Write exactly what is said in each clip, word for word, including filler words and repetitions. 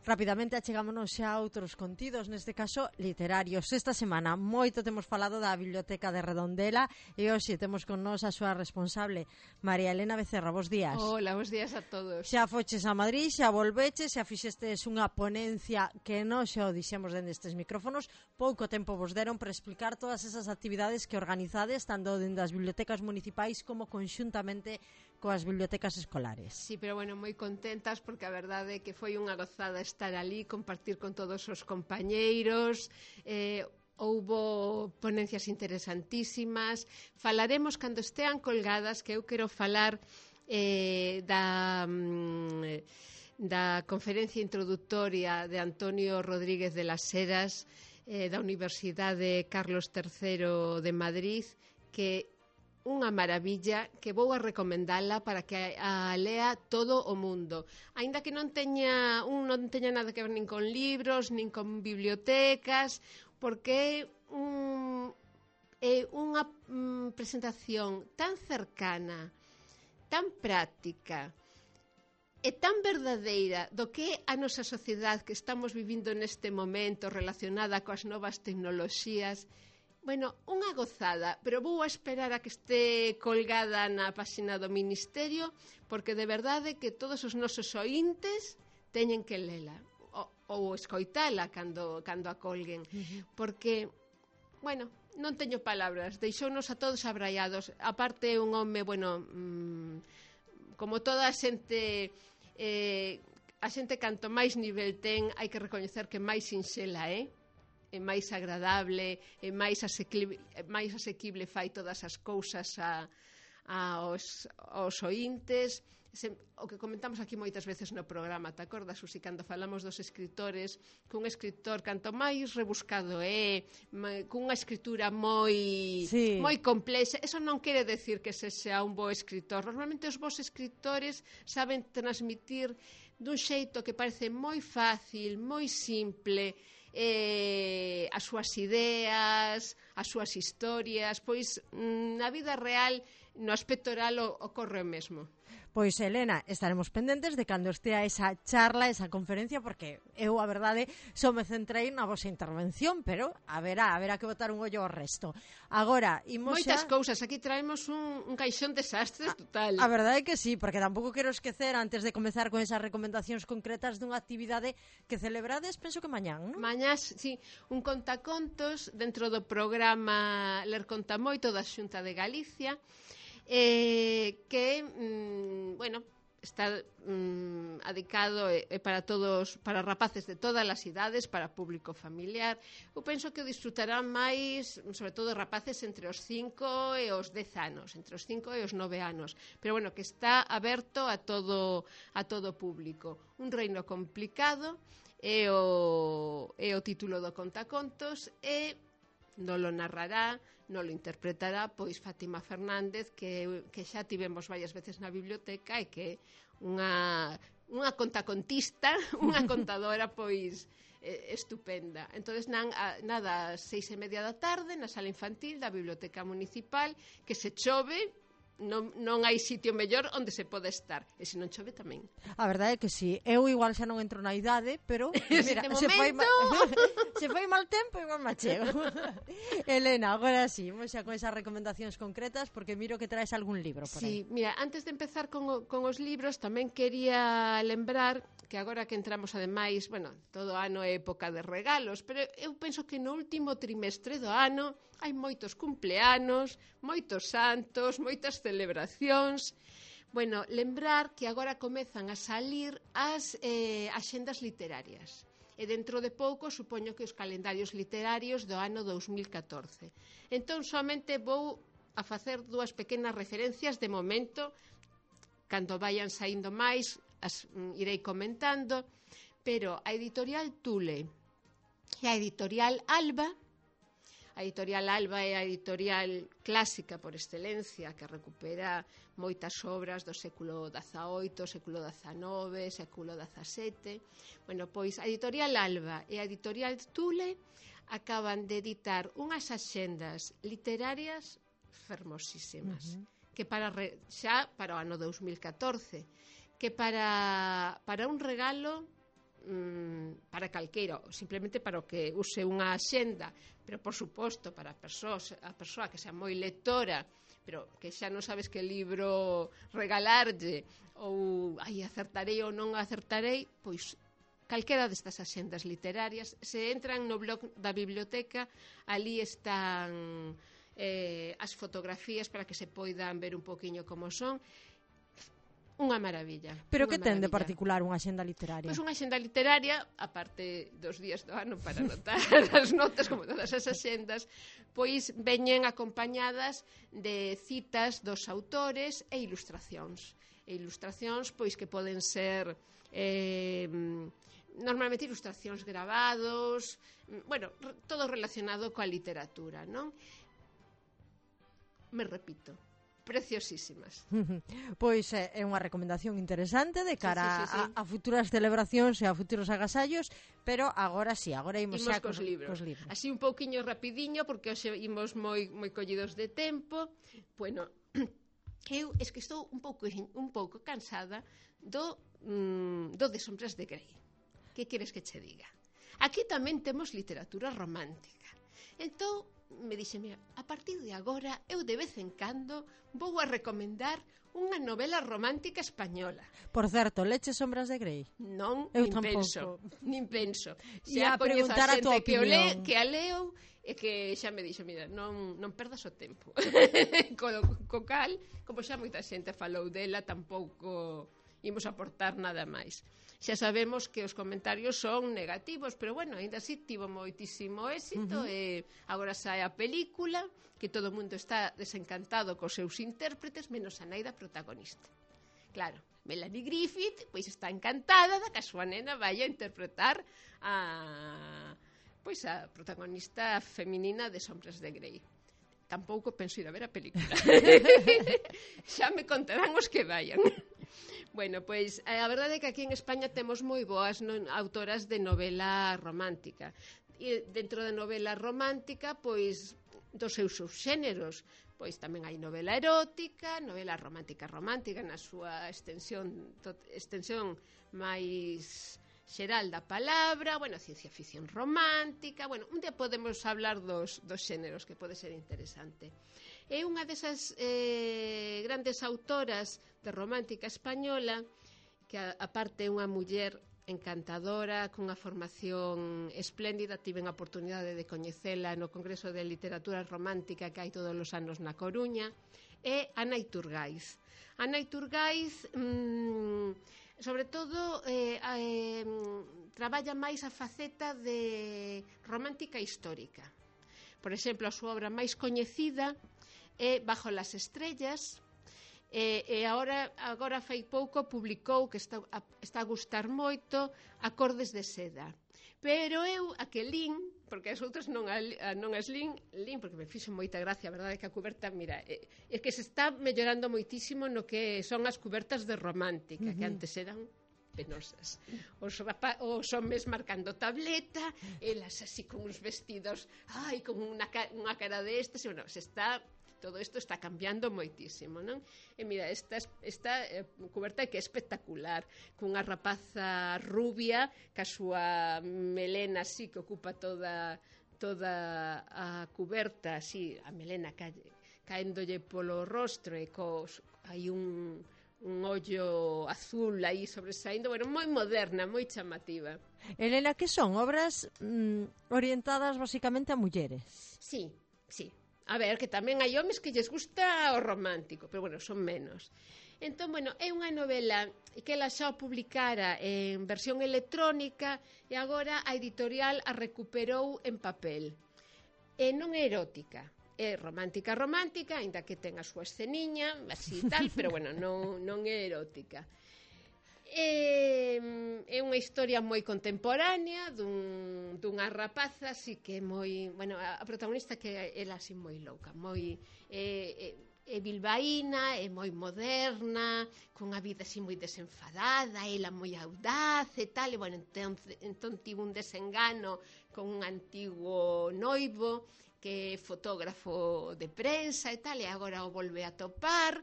Rapidamente achegámonos xa a outros contidos, neste caso literarios. Esta semana moito temos falado da Biblioteca de Redondela e hoxe temos con nós a súa responsable, María Elena Becerra. Bos días. Hola, bos días a todos. Xa foches a Madrid, xa volveches, xa fixestes unha ponencia que non xa o dixemos dende estes micrófonos. Pouco tempo vos deron para explicar todas esas actividades que organizades tanto dende as bibliotecas municipais como conxuntamente coas bibliotecas escolares. Sí, pero bueno, moi contentas porque a verdade é que foi unha gozada estar ali, compartir con todos os compañeiros, eh, houbo ponencias interesantísimas. Falaremos cando estean colgadas, que eu quero falar eh, da... Mm, da conferencia introductoria de Antonio Rodríguez de las Heras eh, da Universidade Carlos terceiro de Madrid, que unha maravilla que vou a recomendala para que a lea todo o mundo. Aínda que non teña un non teña nada que ver nin con libros, nin con bibliotecas, porque é un, é unha um, presentación tan cercana, tan práctica e tan verdadeira do que é a nosa sociedade que estamos vivindo neste momento relacionada coas novas tecnoloxías. Bueno, unha gozada, pero vou a esperar a que este colgada na páxina do Ministerio, porque de verdade que todos os nosos oíntes teñen que lela ou, ou escoitala cando, cando a colguen, uh-huh. Porque, bueno, non teño palabras, deixounos a todos abraiados. Aparte, un home, bueno, mmm, como toda a xente, eh, a xente canto máis nivel ten, hai que recoñecer que máis sinxela, eh? É máis agradable, é máis asequible, máis asequible fai todas as cousas a, a aos, aos oíntes. Se, o que comentamos aquí moitas veces no programa, te acordas, Susi, cando falamos dos escritores, que un escritor canto máis rebuscado é, cunha escritura moi sí. moi complexa, eso non quere decir que se sea un bo escritor. Normalmente os bons escritores saben transmitir dun xeito que parece moi fácil, moi simple, eh, as súas ideas, as súas historias, pois na vida real, no aspecto real ocorre o mesmo. Pois, Elena, estaremos pendentes de cando estea esa charla, esa conferencia, porque eu, a verdade, só me centrei na vosa intervención, pero haberá, haberá que botar un ollo ao resto. Agora, imos moitas xa... cousas, aquí traemos un, un caixón de desastres total. A, a verdade é que sí, porque tampouco quero esquecer, antes de comezar con esas recomendacións concretas dunha actividade que celebrades, penso que mañán, non? Mañás, sí, un contacontos dentro do programa Ler Conta Moito da Xunta de Galicia, Eh, que, mm, bueno, está mm, adicado eh, para todos, para rapaces de todas as idades, para público familiar. Eu penso que o disfrutarán máis, sobre todo rapaces entre os cinco e os dez anos, entre os cinco e os nove anos, pero bueno, que está aberto a todo a todo público. Un reino complicado é o, é o título do contacontos e non lo narrará, non lo interpretará pois Fátima Fernández, que, que xa tivemos varias veces na biblioteca e que unha, unha contacontista, unha contadora pois eh, estupenda. Entonces nan, a, nada, ás seis e media da tarde na sala infantil da Biblioteca Municipal, que se chove non, non hai sitio mellor onde se pode estar, e se non chove tamén. A verdade é que si, sí. Eu igual xa non entro na idade, pero mira, se, se, foi ma... se foi mal tempo igual me chego. Elena, agora sí, vamos xa con esas recomendacións concretas, porque miro que traes algún libro por sí, aí. Mira, antes de empezar con, o, con os libros, tamén quería lembrar que agora que entramos ademais, bueno, todo ano é época de regalos, pero eu penso que no último trimestre do ano hai moitos cumpleanos, moitos santos, moitas celebracións. Bueno, lembrar que agora comezan a salir as eh, axendas literarias. E dentro de pouco, supoño que os calendarios literarios do ano dous mil catorce. Entón, somente vou a facer dúas pequenas referencias de momento, cando vayan saindo máis, as mm, irei comentando, pero a editorial Tule e a editorial Alba, a editorial Alba é a editorial clásica por excelencia, que recupera moitas obras do século dezaoito, século dezanove, século dezasete. Bueno, pois a editorial Alba e a editorial Tule acaban de editar unhas axendas literarias fermosísimas, uh-huh. que para re, xa para o ano dous mil catorce, que para, para un regalo mm, para calqueira, simplemente para o que use unha axenda, pero por suposto para a persoa, a persoa que sea moi lectora, pero que xa non sabes que libro regalarlle, ou ai, acertarei ou non acertarei, pois calquera destas axendas literarias, se entran no blog da biblioteca, ali están eh, as fotografías para que se poidan ver un poquinho como son. Unha maravilla. Pero unha que ten de maravilla. particular unha axenda literaria? Pois unha axenda literaria, aparte dos días do ano para anotar as notas, como todas as axendas, pois veñen acompañadas de citas dos autores e ilustracións. E ilustracións, pois, que poden ser eh, normalmente ilustracións gravados, bueno, todo relacionado coa literatura, non? Me repito, preciosísimas. Pois é, é unha recomendación interesante de cara sí, sí, sí, sí. A, a futuras celebracións e a futuros agasallos, pero agora sí, agora imos, imos xa cos, cos, libros. cos libros. Así un pouquiño rapidiño, porque hoxe imos moi moi collidos de tempo. Bueno, eu es que estou un pouco un pouco cansada do mm, do de Sombras de Grey. Que queres que che diga? Aquí tamén temos literatura romántica. Entón, me dixe, mira, a partir de agora eu de vez en cando vou a recomendar unha novela romántica española. Por certo, leche Sombras de Grey? Non, eu nin tampouco. penso, nin penso. Se a preguntar a tua que, o le, opinión. que a leo e que xa me dixo, mira, non, non perdas o tempo. co, co cal, como xa moita xente falou dela, tampouco imos aportar nada máis. Xa sabemos que os comentarios son negativos, pero bueno, ainda así tivo moitísimo éxito. Uh-huh. E agora sae a película, que todo o mundo está desencantado cos seus intérpretes, menos a nai da protagonista. Claro, Melanie Griffith pois está encantada da que a súa nena vai a interpretar a, pois a protagonista feminina de Sombras de Grey. Tampouco penso ir a ver a película. Xa me contarán os que vayan. Bueno, pois a verdade é que aquí en España temos moi boas non, autoras de novela romántica. E dentro da novela romántica, pois dos seus subxéneros, pois tamén hai novela erótica, novela romántica romántica na súa extensión to, extensión máis xeral da palabra, bueno, ciencia ficción romántica, bueno, un día podemos hablar dos, dos xéneros, que pode ser interesante. É unha desas eh, grandes autoras de romántica española que, a, aparte, é unha muller encantadora, cunha formación espléndida. Tiven a oportunidade de coñecela no Congreso de Literatura Romántica que hai todos os anos na Coruña. É Ana Iturgaiz. Ana Iturgaiz, mmm, sobre todo, eh, eh, traballa máis a faceta de romántica histórica. Por exemplo, a súa obra máis coñecida é Bajo las estrellas, e, e agora, agora fai pouco publicou, que está a, está a gustar moito, Acordes de seda. Pero eu a que lin, porque as outras non, a, non as lin, lin porque me fixo moita gracia, a verdade é que a cuberta, mira, é, é que se está mellorando moitísimo no que son as cubertas de romántica, uh-huh. que antes eran penosas. Os, rapa, os homes marcando tableta, elas así con uns vestidos, ai, con unha, unha cara destes, e bueno, se está... Todo isto está cambiando moitísimo, non? E mira, esta, esta eh, cuberta que é espectacular, cunha rapaza rubia, ca súa melena así que ocupa toda toda a cuberta, así, a melena ca, caéndolle polo rostro e cos, hai un, un ollo azul aí sobresaindo, bueno, moi moderna, moi chamativa. Elena, que son obras mm, orientadas basicamente a mulleres? Sí, sí. A ver, que tamén hai homes que lles gusta o romántico, pero bueno, son menos. Entón, bueno, é unha novela que ela xa o publicara en versión electrónica e agora a editorial a recuperou en papel. E non é erótica, é romántica romántica, aínda que ten a súa esceniña, así tal, pero bueno, non, non é erótica. É, é unha historia moi contemporánea dun, dunha rapaza así que é moi, bueno, a protagonista que é ela así moi louca, moi é, é, é bilbaína, é moi moderna, cunha vida así moi desenfadada, ela moi audaz e tal, e bueno, entón, entón tivo un desengano con un antigo noivo que é fotógrafo de prensa e tal, e agora o volve a topar.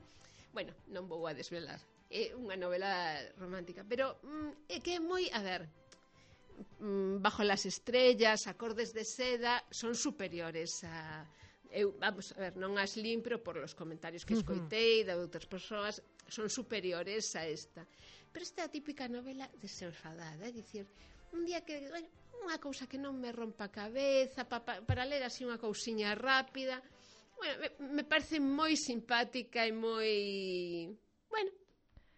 Bueno, non vou a desvelar. É unha novela romántica, pero mm, é que é moi, a ver, Bajo las estrellas, Acordes de seda, son superiores a... Eu, vamos a ver, non as lin, pero por los comentarios que escoitei de outras persoas, son superiores a esta. Pero esta é a típica novela desenfadada, é dicir, un día que, bueno, unha cousa que non me rompa a cabeza, pa, pa, para ler así unha cousiña rápida, bueno, me, me parece moi simpática e moi, bueno,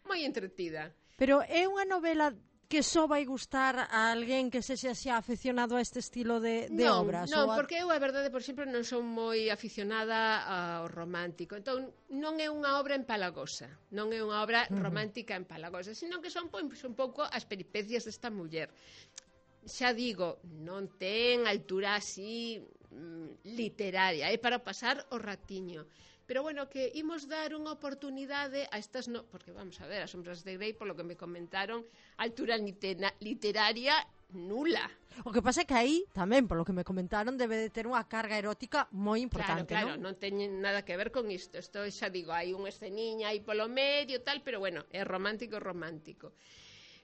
moi entretida. Pero é unha novela que só vai gustar a alguén que sexa xa aficionado a este estilo de, de non, obras? Non, a... porque eu, a verdade, por exemplo, non son moi aficionada ao romántico. Entón, non é unha obra empalagosa, non é unha obra romántica empalagosa, sino que son, pois, un pouco as peripecias desta muller. Xa digo, non ten altura así mm, literaria, é para pasar o ratiño. Pero bueno, que imos dar unha oportunidade a estas, no... porque vamos a ver, As sombras de Grey, polo que me comentaron, altura litera... literaria nula. O que pasa é que aí, tamén, polo que me comentaron, debe de ter unha carga erótica moi importante, claro, claro, non? non teñen nada que ver con isto. Isto xa digo, hai unha esceniña aí polo medio, tal, pero bueno, é romántico, romántico.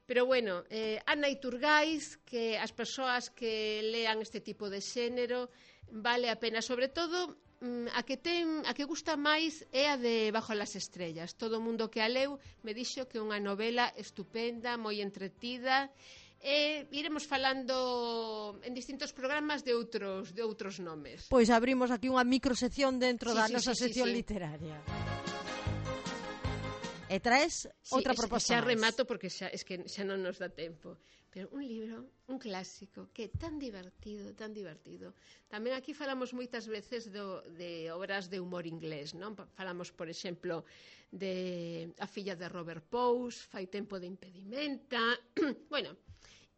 Pero bueno, eh, Ana Iturgaiz, que as persoas que lean este tipo de xénero, vale a pena, sobre todo... A que ten, a que gusta máis é a de Bajo las estrellas. Todo o mundo que a leu me dixo que é unha novela estupenda, moi entretida, e iremos falando en distintos programas de outros de outros nomes. Pois abrimos aquí unha microsección dentro sí, da sí, nosa sí, sección sí, sí. literaria. E traes sí, outra es, proposta xa máis. remato porque xa, es que xa non nos dá tempo. Pero un libro, un clásico, que é tan divertido, tan divertido. Tamén aquí falamos moitas veces do, de obras de humor inglés, non? Falamos, por exemplo, de A filla de Robert Pous, Fai tempo de impedimenta. Bueno,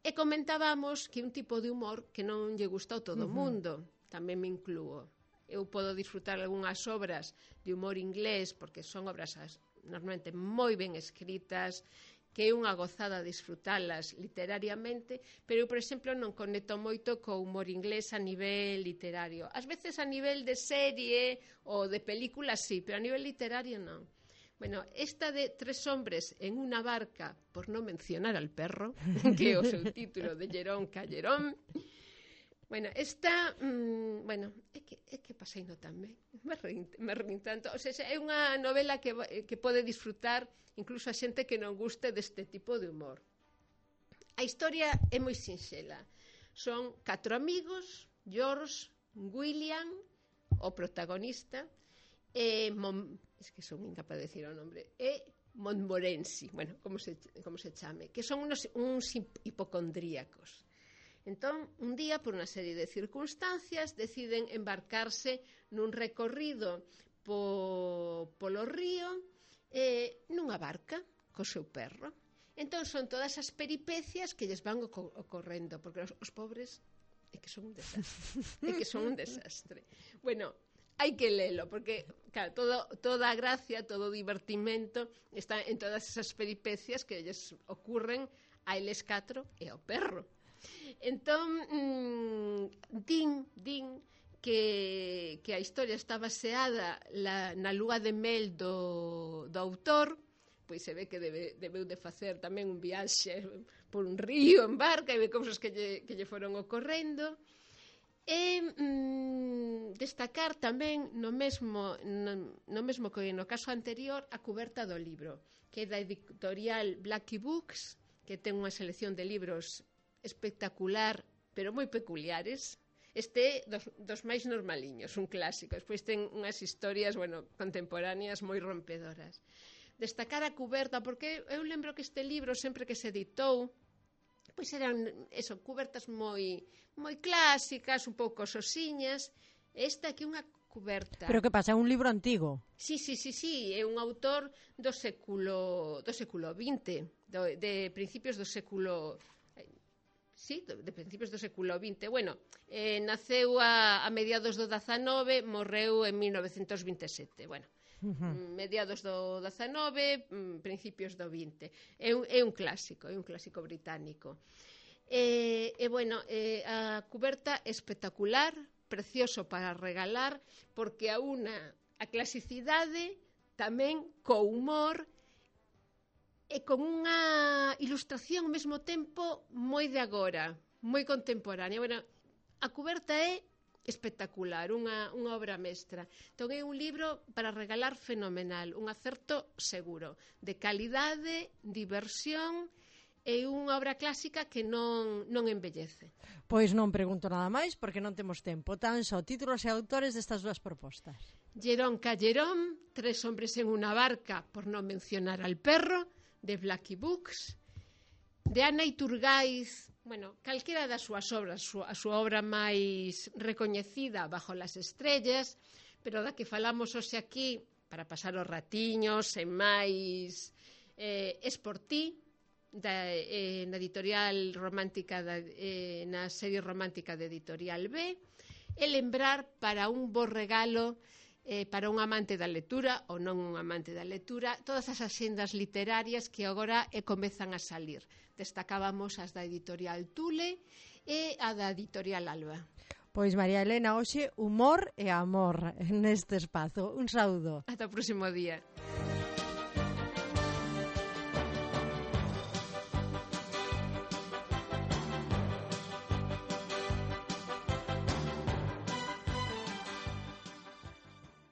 e comentábamos que un tipo de humor que non lle gusta a todo o mundo. Tamén me incluo. Eu podo disfrutar algunhas obras de humor inglés porque son obras normalmente moi ben escritas, que é unha gozada disfrutalas literariamente, pero eu, por exemplo, non conecto moito co humor inglés a nivel literario. Ás veces a nivel de serie ou de película sí, pero a nivel literario non. Bueno, esta de Tres hombres en una barca, por non mencionar al perro, que é o seu título de Jerón Callerón. Bueno, esta, mmm, bueno, é que, é que pasei no tamén, me rin, me rin tanto, o sea, é unha novela que, que pode disfrutar incluso a xente que non guste deste tipo de humor. A historia é moi sinxela, son catro amigos, George, William, o protagonista, e Mon, es que son incapaz de decir o nombre, e Montmorency, bueno, como se, como se chame, que son unos, uns hipocondríacos. Entón, un día, por unha serie de circunstancias, deciden embarcarse nun recorrido po, polo río eh, nunha barca co seu perro. Entón, son todas as peripecias que lles van ocorrendo, porque os, os pobres é que son un desastre. É que son un desastre. Bueno, hai que lelo, porque, claro, todo, toda a gracia, todo o divertimento está en todas esas peripecias que lles ocurren a eles catro e ao perro. Entón, mmm, din, din que, que a historia está baseada la, na lúa de mel do, do autor, pois se ve que debe, debeu de facer tamén un viaxe por un río en barca e de cousas que lle, que lle foron ocorrendo. E mmm, destacar tamén no mesmo, no, no mesmo que no caso anterior a cuberta do libro, que é da editorial Blackie Books, que ten unha selección de libros espectacular, pero moi peculiares. Este é dos, dos máis normaliños, un clásico. Despois ten unhas historias, bueno, contemporáneas moi rompedoras. Destacar a cuberta, porque eu lembro que este libro, sempre que se editou, pois eran, eso, cubertas moi, moi clásicas, un pouco sosiñas. Esta aquí unha cuberta. Pero que pasa, é un libro antigo? Sí, sí, sí, sí, é un autor do século do século vinte, do, de principios do século sí, de principios do século vinte. Bueno, eh, naceu a, a mediados do dezanove, morreu en mil novecentos vinte e sete. Bueno, uh-huh. mediados do dezanove, principios do vinte. É un, é un clásico, é un clásico británico. E, e bueno, eh, a cuberta espectacular, precioso para regalar, porque a unha a clasicidade tamén co humor e con unha ilustración ao mesmo tempo moi de agora, moi contemporánea. Bueno, a cuberta é espectacular, unha, unha obra mestra. Entón é un libro para regalar fenomenal, un acerto seguro, de calidade, diversión e unha obra clásica que non, non envellece. Pois non pregunto nada máis porque non temos tempo. Tan só títulos e autores destas dúas propostas. Llerón Callerón, Tres hombres en una barca, por non mencionar al perro, de Blackie Books, de Ana Iturgaiz, bueno, calquera das súas obras, a súa obra máis recoñecida, Bajo las estrellas, pero da que falamos hoxe aquí, para pasar os ratiños, e máis eh, es por ti, da, eh, na editorial romántica, da, eh, na serie romántica de Editorial B, e lembrar para un bo regalo Eh, para un amante da lectura ou non un amante da lectura, todas as axendas literarias que agora eh, comezan a salir. Destacábamos as da editorial Tule e a da editorial Alba. Pois María Elena, hoxe humor e amor neste espazo. Un saúdo. Ata o próximo día.